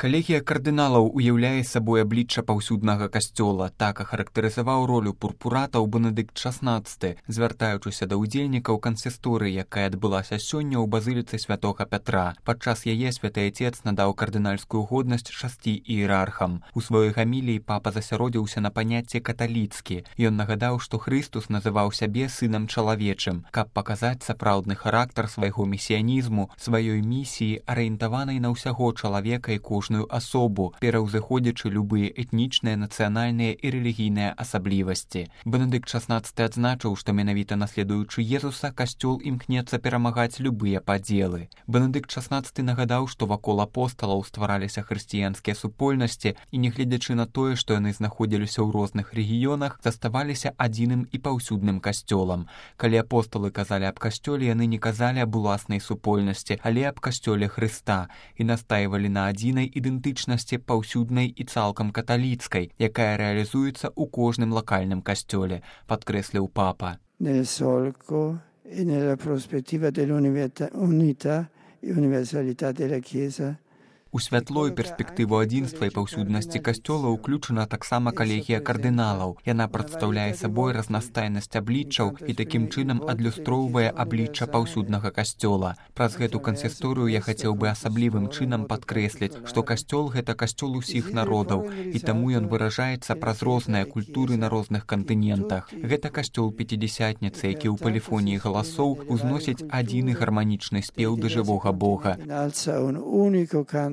Калегія кардыналаў уяўляе сабой аблічча паўсюднага касцёла, так ахарактарызаваў ролю пурпуратаў Бенедыкт XVI, звяртаючыся да ўдзельнікаў кансісторыі, якая адбылася сёння ў базыліцы святога Пятра. Падчас яе святы Ацец надаў кардынальскую годнасць 6 іерархам. У сваёй гаміліі папа засяродзіўся на паняцці каталіцкі. Ён нагадаў, што Хрыстус называў сябе сынам чалавечым, каб паказаць сапраўдны характар свайго месіянізму, сваёй місіі, арыентаванай на ўсяго чалавека і кожную асобу, пераўзыходзячы любыя этнічныя, нацыянальныя і рэлігійныя асаблівасці. Бенедыкт XVI адзначыў, што менавіта наследуючы Езуса, касцёл імкнецца перамагаць любыя падзелы. Бенедыкт XVI нагадаў, што вакол апосталаў ствараліся хрысціянскія супольнасці і, нягледзячы на тое, што яны знаходзіліся ў розных рэгіёнах, заставаліся адзіным і паўсюдным касцёлам. Калі апосталы казалі аб касцёле, яны не казалі аб уласнай супольнасці, але аб касцёле Хрыста і настаивалі на адзінай ідэнтычнасці паўсюднай і цалкам каталіцкай, якая рэалізуецца ў кожным лакальным касцёле, падкрэсліў папа. Nel solco e nella prospettiva dell'unità e universalità della Chiesa. У святло і перспектыву адзінства і паўсюднасці касцёла ўключана таксама калегія кардыналаў. Яна прадстаўляе сабой разнастайнасць абліччаў і такім чынам адлюстроўвае аблічча паўсюднага касцёла. Праз гэту кансісторыю я хацеў бы асаблівым чынам падкрэсліць, што касцёл — гэта касцёл усіх народаў, і таму ён выражаецца праз розныя культуры на розных кантынентах. Гэта касцёл пяцідзясятніцы, які ў паліфоніі галасоў узносіць адзіны гарманічны спеў да жывога Бога.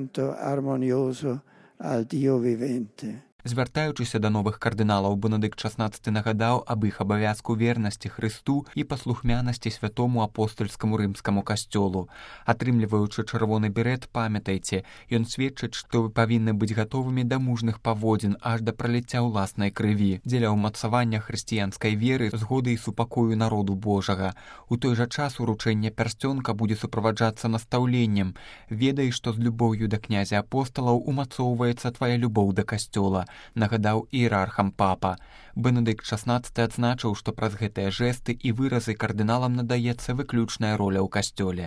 Armonioso al Dio vivente. Звяртаючыся да новых кардыналаў, Бенедыкт XVI нагадаў аб іх абавязку вернасці Хрысту і паслухмянасці святому апостальскаму рымскаму касцёлу. Атрымліваючы чырвоны берет, памятайце, ён сведчыць, што вы павінны быць гатовымі да мужных паводзін аж да праліцця ўласнай крыві, дзеля ўмацавання хрысціянскай веры, згоды і супакою народу Божага. У той жа час уручэнне пярсцёнка будзе суправаджацца настаўленнем. Ведай, што з любоўю да князя апосталаў умацоўваецца твая любоў да касцёла, нагадаў іерархам папа. Бенедыкт XVI адзначыў, што праз гэтыя жэсты і выразы кардыналам надаецца выключная роля ў касцёле.